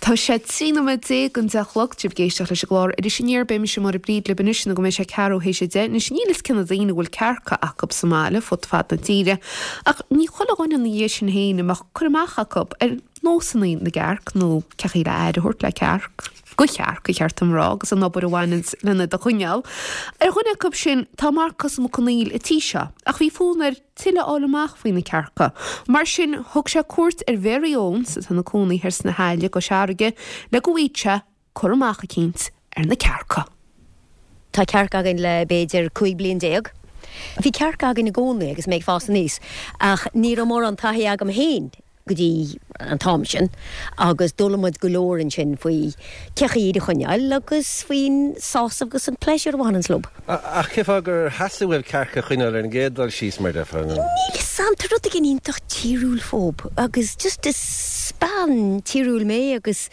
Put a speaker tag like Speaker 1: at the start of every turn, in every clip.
Speaker 1: Tá sé 13 nóiméad don 10 a chlog, sibh ag éisteacht leis an gclár Iris Aniar, beidh mise Máire Bríd libh anois nó go mbeidh sé ceathrú théis a 10. Anois níl fhios cé na daoine a bhfuil cearca acu sa mbaile fud fad na tíre, ach ní chuile dhuine ina dhiaidh sin féin a mbeadh cur amach acu ar nósanna na gcearc nó cé chaoi le aire a thabhairt le cearc, do chearc, ba cheart dom a rá, agus an obair a bhaineanns lena iad a choinneáil. Ar dhuine acu sin tá Marcas Mac Conghail an tí seo, ach bhí fonn air tuilleadh a fháil amach faoi na cearca. Mar sin, thug sé cuairt ar Mhary Owens, atá ina cónaí thoir sna hAille i gCois Fharraige, le go bhfaigheadh sé cur amach eicínt ar na cearca.
Speaker 2: Tá cearca againn le b'fhéidir 15 bliain. Bhí cearca againn i gcónaí agus mé ag fás aníos, ach ní raibh mórán taithí agam féin go dtí an t-am sin agus d'fhoghlaim muid go leor ansin faoi cé chaoi iad a choinneáil agus faoin sásamh agus an pléisiúr a bhaineanns leo.
Speaker 3: Ach cé fáth gur theastaigh uaibh cearca a choinneáil ar an gcéad dul síos, mar déarfá?
Speaker 2: Níl 'fhios a'm, tá rud éigin iontach tíriúil fúb agus just is bean tíriúil mé agus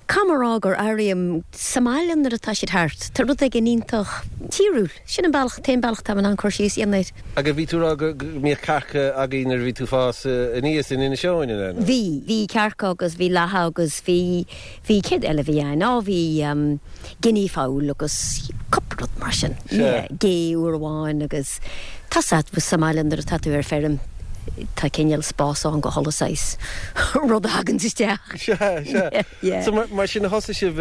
Speaker 2: caithfidh mé a rá gur airím sa mbaile nuair atá siad thart, tá rud éigin iontach tíriúil. Sin an bealach, an t-aon bealach atá in ann cur síos a dhéanamh air.
Speaker 3: Agus bhí tú ag rá go mbíodh cearca agaibh nuair a bhí tú ag fás aníos in Inis Eoghain, an ea?
Speaker 2: Bhí, bhí cearca agus bhí lacha agus bhí, bhí, céard eile a bhí ann? Á bhí guinea fowl agus cúpla rud mar sin.
Speaker 3: Sea.
Speaker 2: Yeah, gé uair amháin agus tá sa, sa mbaile nuair atá tú ar feirm tá cineál spás ann do chuile saghas rud a thaganns isteach.
Speaker 3: Sea, sea.
Speaker 2: Yeah. Yeah.
Speaker 3: So mar sin thosaigh sibh,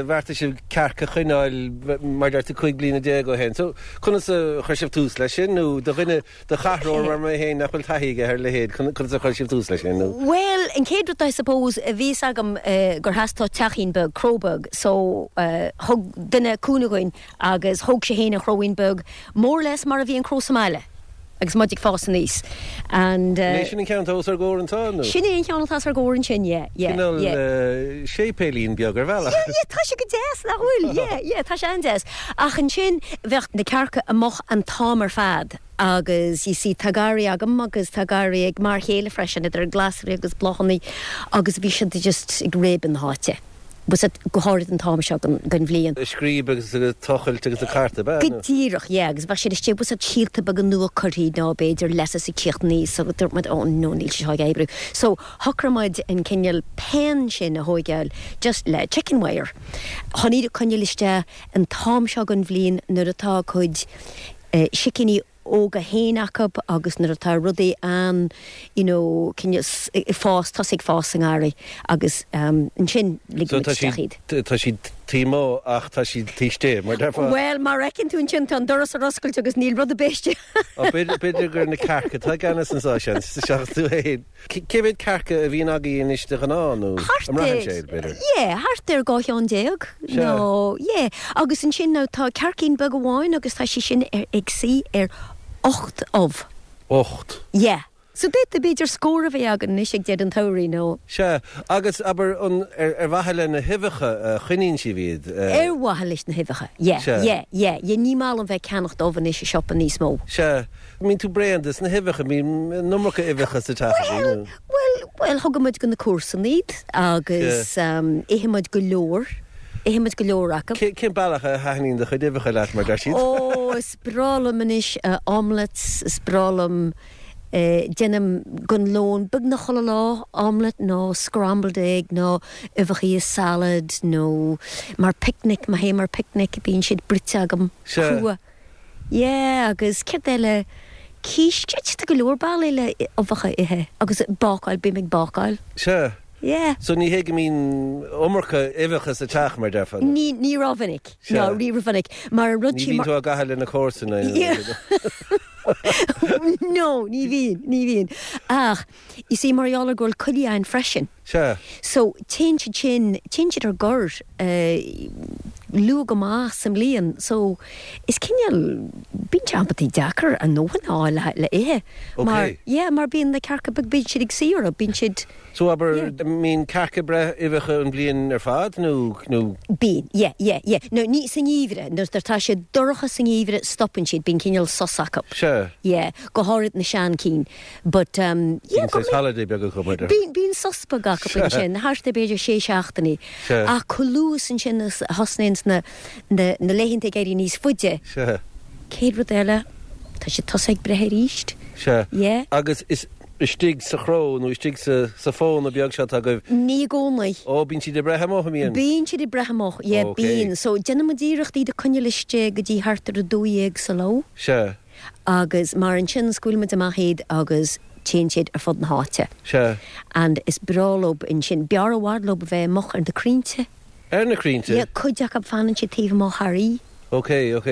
Speaker 3: bheartaigh sibh cearc a choinneáil mar a deir tú 15 bliana ó shin. So conas a chuir sibh tús leis sin nó do dhuine, do chathróir mar mé féin nach bhfuil taithí aige ar a leithéid, conas a chuir sibh tús leis sin
Speaker 2: nó? Bhuel, an chéad rud I suppose, bhí fhios agam gur theastódh teachín beag, cró beag, so thug duine cúnamh dhúinn Agus thóg sé fhéin an chróín beag more or less mar a bhí an cró sa mbaile agus muid ag fás aníos.
Speaker 3: And. An é sin an ceann atá os ár gcomhair anseo
Speaker 2: nó? Sin é an ceann atá os ár gcomhair ansin, yeah, yeah,
Speaker 3: yeah. Cineál séipéilín beag ar bhealach.
Speaker 2: Yeah, yeah, tá sé go deas, nach bhfuil? Yeah, yeah, tá sé an-deas. Ach ansin bheadh na cearca amuigh an t-am ar fad agus you see tá garraí agam agus tá garraí ag m'fhear chéile freisin idir glasraí agus bláthanna agus bhí siad just ag réabadh na háite. Was it, go háirid an t-am seo den bhliain.
Speaker 3: Ag scríob agus ag tochailt agus ag cartadh, ab
Speaker 2: ea? Go díreach, yeah, agus bheadh siad istigh, was it, síolta beaga nua curtha nó b'fhéidir lettuce ag tíocht aníos agus dúirt muid, oh no, níl sé seo ag oibriú. So, shocraigh muid an cineál pen sin a thóigeáil just le chicken wire chun iad a coinneáil isteach an t-am seo den bhliain nuair atá a gcuid sicíní óga féin acu agus nuair atá rudaí an you know cineál ag fás, tosaí ag fás sa ngarraí agus ansin
Speaker 3: ligfidh muid isteach iad. Tá siad taobh amuigh ach tá siad taobh istigh, mar déarfá.
Speaker 2: Bhuel, mar a fheiceann tú ansin tá an doras ar oscailt agus níl rud ar bith istigh.
Speaker 3: B'fhéidir gur na cearca atá i gceannas anseo, seans, seachas tú féin. Cé mhéad cearca a bhíonn agaibh anois de ghnáth, nó
Speaker 2: an mbraitheann sé, b'fhéidir? Yeah, thart ar 12 cheann, nó yeah. Agus ansin now tá cearcaín beag amháin agus tá sí sin ar, ag suí ar 8 ubh.
Speaker 3: 8?
Speaker 2: Yeah. So d'fhéadfadh b'fhéidir scór a bheith againn anois ag deireadh an tsamhraidh, nó.
Speaker 3: Sea, agus abair, an, ar, ar mhaithe le na huibheacha a choinníonn sibh iad?
Speaker 2: Ar mhaithe leis na huibheacha, yeah,
Speaker 3: Sea.
Speaker 2: yeah, yeah, yeah, ní maith liom bheith ag ceannacht ubh anois i siopa níos mó.
Speaker 3: Sea. Mbíonn tú bréan des na huibheacha, mbíonn an iomarca uibheacha sa teach
Speaker 2: agaibh? Bhuel, bhuel, bhuel, thugann muid go na comharsana iad agus itheann muid go leor, itheann muid go leor acu.
Speaker 3: Cén bealach a thaitníonn do chuid uibheacha leat, mar deir siad?
Speaker 2: Ó, is breá liom anois omelettes, is breá liom, déanaim don lón beagnach chuile lá, omelette nó scrambled egg nó uibheacha i salad nó mar picnic, má théim ar picnic bíonn siad bruite agam, crua. Yeah, agus céard eile? Quiche, tá go leor bealaí le uibheacha a ithe agus bácáil, bím ag bácáil.
Speaker 3: Sea.
Speaker 2: Yeah.
Speaker 3: So ní hé go mbíonn iomarca uibheacha sa teach, mar déarfá?
Speaker 2: Ní, ní rómhinic.
Speaker 3: Sea.
Speaker 2: No, ní rómhinic. Mar an rud
Speaker 3: Ní bhíonn tú á gcaitheamh le na comharsana.
Speaker 2: No, ní bhíonn, ní bhíonn. Ach, you see, mar gheall ar go bhfuil coiligh againn freisin.
Speaker 3: Sea.
Speaker 2: So, téann siad sin, téann siad ar gor luath go maith sa mbliain. So, is cineál, bíonn sé amantaí deacair a ndóthain a fháil le ithe.
Speaker 3: Ok.
Speaker 2: Mar, yeah, mar bíonn na cearca beag, bíonn siad ag suí orthu, bíonn siad,
Speaker 3: So, abair,
Speaker 2: yeah.
Speaker 3: mbíonn cearca ag breith uibheacha an bhliain ar fad nó, nó?
Speaker 2: Bíonn, yeah, yeah, yeah. No, ní sa ngeimhreadh, nuair atá sé dorcha sa ngeimhreadh stopann siad, bíonn cineál sos acu.
Speaker 3: Sea.
Speaker 2: Yeah, go háirid na sean cinn. But um yeah
Speaker 3: Bíonn saghas holiday beag acu mar déarfá.
Speaker 2: Bíonn, bíonn sos beag acu ansin, thart ar b'fhéidir sé seachtainí.
Speaker 3: Sea.
Speaker 2: Ach chomh luath ansin is a thosnaíonns na, na, na laethanta ag éirí níos faide.
Speaker 3: Sea.
Speaker 2: Céad rud eile, tá siad tosaithe ag breith arís.
Speaker 3: Sea.
Speaker 2: Yeah.
Speaker 3: Agus is. istigh sa chró nó istigh sa sa phóna beag seo atá agaibh?
Speaker 2: Ní i gcónaí.
Speaker 3: Ó, bíonn siad ag breith amuigh, an mbíonn?
Speaker 2: Bíonn siad ag breith amuigh, yeah,
Speaker 3: Ok.
Speaker 2: bíonn. So, déanann muid iarracht iad a coinneáil istigh go dtí thart ar 12 sa ló.
Speaker 3: Sea.
Speaker 2: Agus mar ansin scaoileann muid amach iad agus téann siad ar fud na háite.
Speaker 3: Sea.
Speaker 2: And is breá leob ansin, b'fhearr i bhfad leob a bheith amuigh ar na crainnte.
Speaker 3: Ar na crainnte?
Speaker 2: Yeah, cuid acu fanann siad taobh amuigh thar oíche.
Speaker 3: Ok, ok.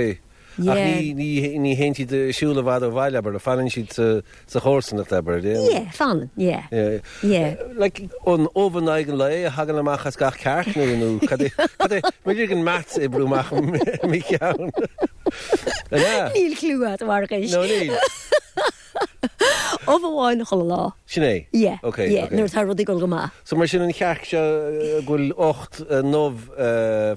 Speaker 3: Ach
Speaker 2: Yeah.
Speaker 3: ní, ní, ní théann siad ag siúl i bhfad ó bhaile, abair, fanann siad sa, sa chomharsanacht, abair, yeah?
Speaker 2: Yeah, fanann, yeah.
Speaker 3: Yeah.
Speaker 2: Yeah.
Speaker 3: Like, an ubh in aghaidh an lae a thagann amach as gach cearc nó, nó cad é, cad é, b'fhéidir an maths oibriú amach i mo cheann. An ea?
Speaker 2: Níl clue agat, a Mharcais.
Speaker 3: No, níl.
Speaker 2: Ubh amháin chuile lá.
Speaker 3: Sin é?
Speaker 2: Yeah,
Speaker 3: Ok,
Speaker 2: yeah,
Speaker 3: ok.
Speaker 2: nuair atá rudaí ag dul go maith.
Speaker 3: So mar sin an chearc seo go bhfuil 8 n-ubh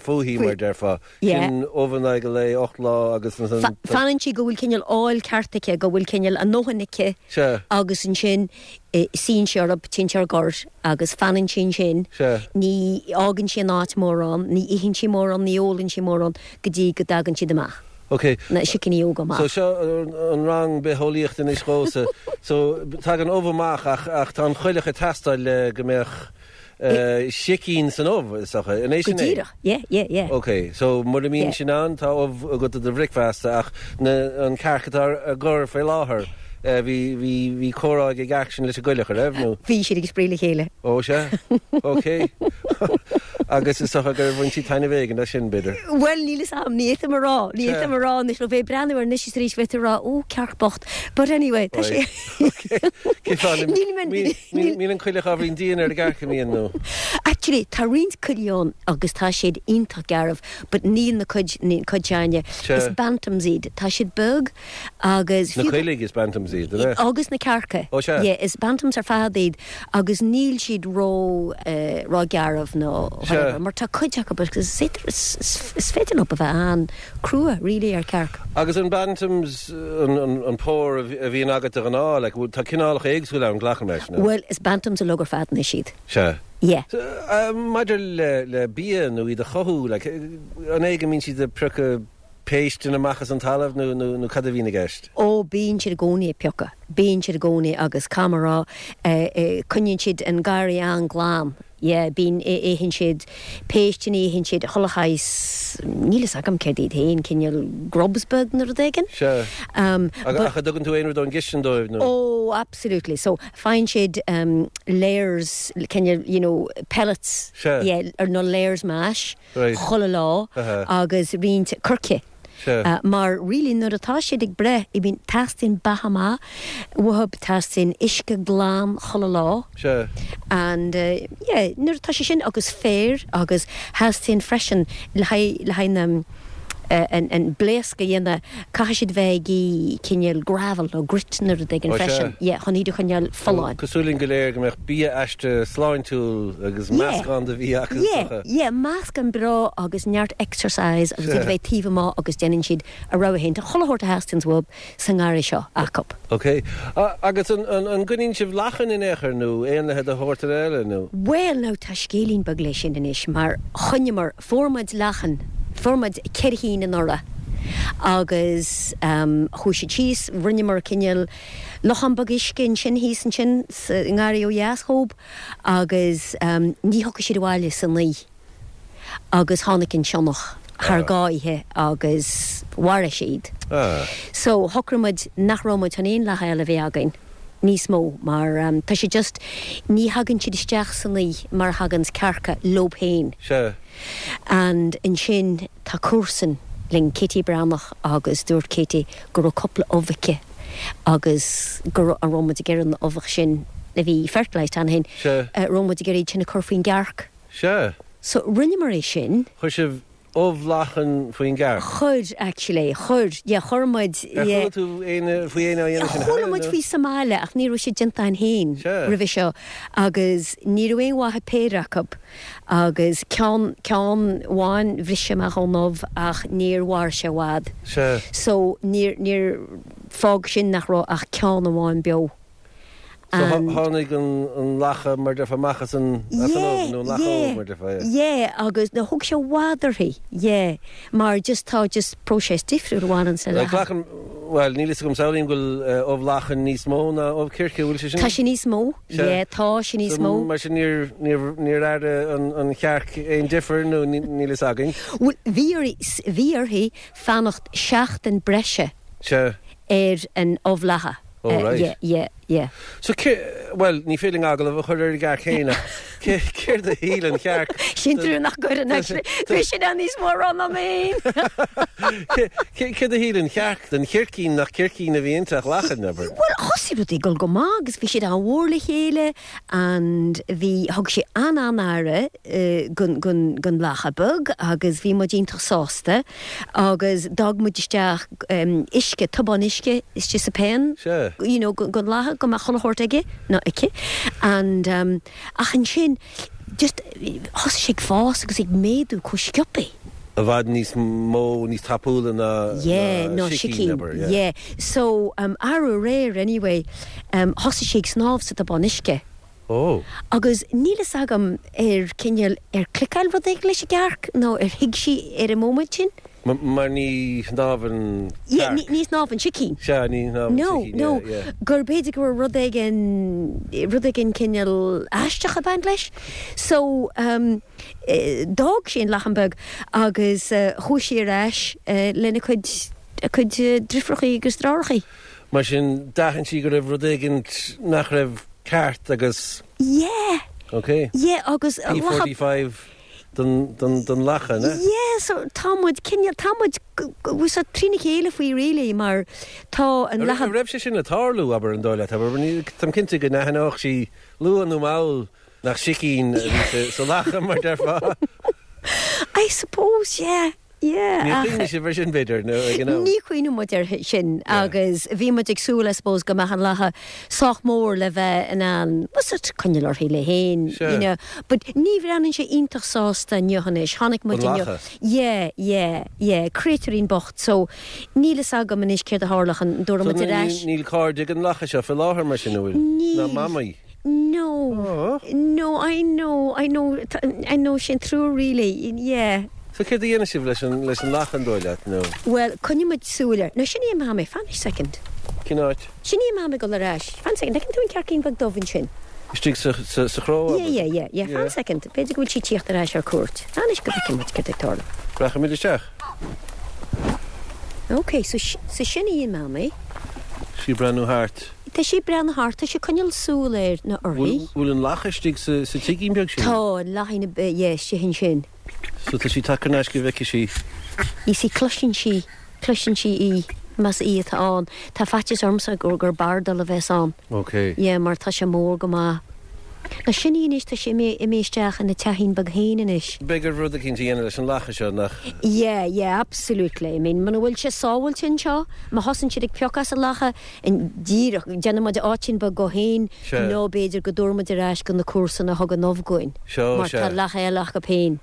Speaker 3: fúithi, mar a déarfá.
Speaker 2: Yeah.
Speaker 3: Sin ubh in aghaidh an lae, 8 lá agus ansan.
Speaker 2: Fanann sí go bhfuil cineál ál ceart aici, go bhfuil cineál a ndóthain aici
Speaker 3: Sea.
Speaker 2: agus ansin suíonn sí orthu, téann sí ar gor agus fanann sí ansin.
Speaker 3: Sea.
Speaker 2: Ní fhágann sí an áit mórán, ní itheann sí mórán, ní ólann sí mórán go dtí go dtagann siad amach.
Speaker 3: Ok.
Speaker 2: Na sicíní óga amach.
Speaker 3: So seo an rang bitheolaíochta anois dhomhsa. So tagann ubh amach ach ach tá an choileach ag teastáil le go mbeadh sicín san ubh, is dócha. An é
Speaker 2: Go
Speaker 3: sin é?
Speaker 2: díreach. Yeah, yeah, yeah.
Speaker 3: Ok. So mura mbíonn
Speaker 2: Yeah.
Speaker 3: sin ann tá ubh agat do do bhricfeasta ach na an cearc atá ar gor faoi láthair bhí bhí bhí comhrá ag an gcearc sin leis an gcoileach, an raibh nó?
Speaker 2: Bhí siad ag spraoi le chéile.
Speaker 3: Ó sea? Ok. Agus is dócha gur bhain siad taitneamh éigin as sin, b'fhéidir.
Speaker 2: Bhuel, níl fhios a'm, ní fhéadfainn a rá, ní fhéadfainn a rá anois, nó bheith ag breathnú air anois is arís bheith ag rá, ó, cearc bocht. But anyway, tá sé.
Speaker 3: Cén fáth?
Speaker 2: Níl mé, níl.
Speaker 3: Mbíonn an coileach ábhairín dian ar an gcearc, an mbíonn, nó?
Speaker 2: Actually, tá roinnt coiligh ann agus tá siad iontach garbh, but níl na cuid, níl cuid s'againne. Is bantams iad, tá siad beag agus.
Speaker 3: Na coiligh is bantams iad, an ea?
Speaker 2: Agus na cearca.
Speaker 3: Ó sea.
Speaker 2: Yeah, is bantams ar fad iad agus níl siad ró, ró-ghearbh nó whatever, mar tá cuid acu agus is féidir, is féidir leo a bheith an-crua really ar chearc.
Speaker 3: Agus an bantams, an pór a bhíonn agat de ghnáth, like, tá cineálacha éagsúla ann, glacaim leis, nó?
Speaker 2: Bhuel, is bantams uilig ar fad anois iad.
Speaker 3: Sea.
Speaker 2: Yeah.
Speaker 3: Maidir le bia nó iad a chothú, like, an é go mbíonn siad ag priocadh péisteanna amach as an talamh nó nó cad a bhíonn i gceist?
Speaker 2: Ó, bíonn siad i gcónaí ag piocadh. Bíonn siad i gcónaí agus caithfidh mé a rá, coinníonn siad an garraí an-ghlan. Yeah, bíonn, itheann siad péisteanna, itheann siad chuile shaghas, níl fhios agam céard iad féin, cineál grubs beag nó rud éigin.
Speaker 3: Sea. Ach an dtugann tú aon rud ón gcistin dóibh nó?
Speaker 2: Ó, absolutely. So, faigheann siad layers, cineál, you know, pellets,
Speaker 3: Sea.
Speaker 2: yeah, ar nó layers mash. chuile lá agus roinnt coirce. Mar really nuair atá siad ag breith, I mean teastaíonn beatha maith uathu, teastaíonn uisce glan chuile lá. And yeah nuair atá sé sin agus féar agus theastaíonn freisin le haghaidh le haghaidh na an blaosc a dhéanamh, caithfidh siad bheith ag ithe cineál gravel nó grit nó rud éigin freisin, yeah, chun iad a choinneáil folláin.
Speaker 3: Cosúil linn go léir go mbeadh bia aiste sláintiúil agus meascán de bhia acu is
Speaker 2: dócha. Yeah, yeah, meascán breá agus neart exercise agus iad a bheith taobh amuigh agus déanann siad a rogha féin. Tá chuile shórt a theastaíonns uathu sa ngarraí seo acu.
Speaker 3: Ok. Agus an gcoinníonn sibh lachain in aon chor nó éanlaithe de shórt eile nó?
Speaker 2: Bhuel now tá scéilín beag leis sin anois mar choinníomar, fuair muid lachain, fuair muid ceithre chinn anuraidh agus chuaigh siad síos, rinneamar cineál lochán beag uisce ansin thíos ansin sa ngarraí ó dheas dhób agus ní thiocfadh siad abhaile san oíche. agus tháinig an sionnach thar dhá oíche agus mharaigh sé iad. So shocraigh muid nach raibh muid chun aon lacha eile a bheith againn níos mó mar tá sé just, ní thagann siad isteach san oíche mar a thaganns cearca leob féin.
Speaker 3: Sea.
Speaker 2: And ansin tá comharsan linn, Katie Breathnach agus dúirt Katie go raibh cúpla ubh aici agus go raibh, an raibh muid ag iarraidh na ubhacha sin a bhí fertilised cheana féin,
Speaker 3: Sea.
Speaker 2: raibh muid ag iarraidh iad sin a chur faoin gcearc.
Speaker 3: Sea.
Speaker 2: So, rinneamar é sin.
Speaker 3: Chuir sibh ubh lachan faoin gcearc?
Speaker 2: Chuir, actually. Chuir. Yeah, chuir muid,
Speaker 3: Ar
Speaker 2: yeah.
Speaker 3: chuala tú éinne, faoi éinne á dhéanamh sin
Speaker 2: Chuala
Speaker 3: cheana,
Speaker 2: muid
Speaker 3: nó?
Speaker 2: faoi sa mbaile ach ní raibh sé déanta againn féin
Speaker 3: Sea.
Speaker 2: roimhe seo agus ní raibh aon mhaith ag péire acu agus ceann, ceann amháin bhris sé amach ón ubh ach níor mhair sé i bhfad.
Speaker 3: Sea.
Speaker 2: So, níor, níor, fág sin nach raibh ach ceann amháin beo.
Speaker 3: So tháinig an lacha mar deirfeá amach as an ubh nó an lacha óg mar
Speaker 2: deirfeá, yeah. Yeah, agus no thóg sé i bhfad uirthi, yeah, mar just tá just próiseas difriúil a bhaineann le lacha.
Speaker 3: Glacaim, bhuel níl fhios agam, samhlaím go bhfuil ubh lachan níos mó ná ubh circe, bhfuil sé sin?
Speaker 2: Tá sé níos mó, yeah, tá sé níos mó.
Speaker 3: So mar sin níor, níor, níor airigh an chearc aon difear nó níl fhios againn?
Speaker 2: Bhuel bhí uirthi, bhí uirthi fanacht seachtain breise.
Speaker 3: Sea.
Speaker 2: Ar an ubh lacha.
Speaker 3: Oh right.
Speaker 2: Yeah, yeah, yeah.
Speaker 3: So cé, bhuel, ní féidir linn agallamh a chur ar an gcearc féin ach cé, céard a shíl an chearc?
Speaker 2: Sin trua nach gcuireann actually. Bhí sin ann níos mó a rá ná mé
Speaker 3: féin. Cé, céard a shíl an chearc den chircín nach circín a bhí inti ach lachan, abair?
Speaker 2: Bhuel, thosaigh rudaí ag dul go maith agus bhí siad an-mhór le chéile and bhí, thug sé an-an-aire gon, gon, gon lacha beag agus bhí muid iontach sásta. Agus d'fhág muid isteach uisce, tubán uisce istigh sa pen, you know, gon lacha, go mbeadh chuile shórt aige, nó aici. And, ach ansin, just, thosaigh sé ag fás agus ag méadú chomh sciobthaí.
Speaker 3: I bhfad níos mó, níos tapúla ná
Speaker 2: Yeah, ná sicín, abair, yeah. Yeah. So, arú aréir, anyway, thosaigh sé ag snámh sa tubán uisce.
Speaker 3: Ó.
Speaker 2: Agus níl fhios agam ar cineál, ar cliceáil rud éigin leis an gcearc nó ar thuig sí ar an móimint sin.
Speaker 3: Mar ní shnámhann
Speaker 2: cearc. Ní shnámhann sicín.
Speaker 3: Sea, ní shnámhann
Speaker 2: sicín, yeah, yeah. No, no, gur b'fhéidir go raibh rud éigin, rud éigin cineál aisteach ag baint leis. So, d'fhág sí an lachan beag agus chuaigh sí ar ais lena cuid, a cuid driofúrachaí agus deartháireachaí.
Speaker 3: Mar sin, d'aithin sí go raibh rud éigin nach raibh ceart agus.
Speaker 2: Yeah.
Speaker 3: Ok.
Speaker 2: Yeah, agus.
Speaker 3: P45 don, don, don lacha, an ea?
Speaker 2: Yeah, so tá muid cineál, tá muid so trína chéile faoi really mar tá an
Speaker 3: lacha. An raibh sé sin le tarlú, abair, an dóigh leat, abair, táim cinnte go n-aithneodh sí luath nó mall nach sicín a bhí sa lacha, mar déarfá.
Speaker 2: I suppose, yeah. Yeah,
Speaker 3: Níor chuimhnigh sibh ar sin, b'fhéidir, nó ag an am?
Speaker 2: Ní chuimhnigh muid ar sin agus bhí muid ag súil, I suppose, go mbeadh an lacha sách mór le bheith in ann, bhfuil 's agat, coinneáil uirthi léi féin, you know. But ní bhreathnaíonn sé iontach sásta inniu anois. Chonaic muid
Speaker 3: inniu. An lacha?
Speaker 2: Yeah, yeah, yeah. Créatúirín bocht. So, níl fhios agam anois céard a tharlódh, an dtabharfaidh muid ar ais.
Speaker 3: So, níl cairde ag an lacha seo fé láthair mar sin, an bhfuil?
Speaker 2: Níl.
Speaker 3: Ná mamaí?
Speaker 2: No, no, I know, I know, I know, sin trua really, yeah.
Speaker 3: So céard a dhéanfaidh sibh leis an, leis an lacha an dóigh leat, nó?
Speaker 2: Bhuel, coinneoidh muid súil air. Nó sin í an mamaí, fan second.
Speaker 3: Cén áit?
Speaker 2: Sin í an mamaí ag dul ar ais. Fan second, fheiceann tú an cearcín beag dubh ansin?
Speaker 3: Istigh sa, sa, sa chró,
Speaker 2: abair? Yeah, yeah, yeah, yeah, fan second. B'fhéidir go bhfuil sí ag tíocht ar ais ar cuairt. Fan anois go bhfeicfidh muid céard ag tarlú.
Speaker 3: Rachaimid isteach.
Speaker 2: Ok, so, so sin í an mamaí.
Speaker 3: Sí ag breathnú thart.
Speaker 2: Tá sí ag breathnú thart, tá sí ag coinneáil súil air nó uirthi.
Speaker 3: Bhfuil an lacha istigh sa tigín beag sin?
Speaker 2: Tá, an lachain, yeah, istigh ansin.
Speaker 3: So tá sí tagtha thar n-ais go bhfeicfidh sí.
Speaker 2: You see, cloiseann sí, cloiseann sí í, más í atá ann. Tá faitíos ormsa gur, gur bardail a bheas ann.
Speaker 3: Ok.
Speaker 2: Yeah, mar tá sé mór go maith. Now sin í anois, tá sí imithe, imithe isteach ina teachín beag féin anois.
Speaker 3: Beidh oraibh rud eicínt a dhéanamh leis an lacha seo, nach?
Speaker 2: Yeah, yeah, absolutely. I mean, muna bhfuil sé sábháilte anseo, má thosaíonn siad ag piocadh as an lacha, Díreach, déanfaidh muid áitín beag dhó féin nó b'fhéidir go dtabharfaidh muid ar ais go na comharsana a thug an ubh dhúinn mar tá lacha eile acu féin.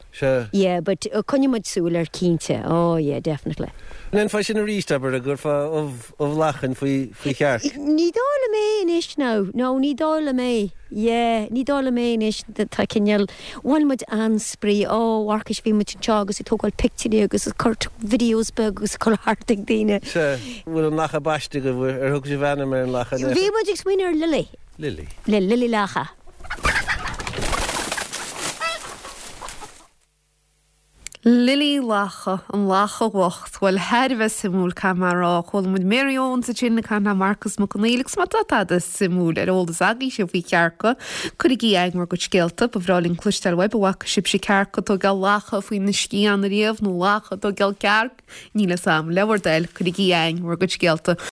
Speaker 2: Yeah, but coinneoidh muid súil air cinnte. Oh yeah, definitely.
Speaker 3: An ndéanfá sin arís, abair, an gcuirfeá ubh, ubh lachain faoi, faoi chearc?
Speaker 2: Ní dóigh liom é anois now, no, ní dóigh liom é. Yeah, ní dóigh liom é anois, tá cineál, bhain muid an-spraoi, oh Mharcais bhí muid anseo agus ag tógáil pictiúirí agus ag cur videos beag agus ag cur thart ag daoine.
Speaker 3: Sea, bhfuil an lacha baiste agaibh, ar thug sibh ainm ar an lacha?
Speaker 2: Bhí muid ag smaoineamh ar Lily.
Speaker 3: Lily.
Speaker 2: Lily Lacha.
Speaker 1: Lily Lacha, an lacha bhocht. Bhuel, thar a bheith suimiúil, caithfidh mé a rá. Chuala muid Mary Owens ansin ag caint le Marcus Mac Conghail agus má tá tada suimiúil ar eolas agaibhse faoi chearca, cuirigí chugainn bhur gcuid scéalta. Ba bhreá linn cloisteáil uaibh an bhfaca sibhse cearc ag tógáil lacha faoina scian ariamh nó lacha ag tógáil cearc. Níl fhios a'm. Le bhur dtoil, cuirigí chugainn bhur gcuid scéalta.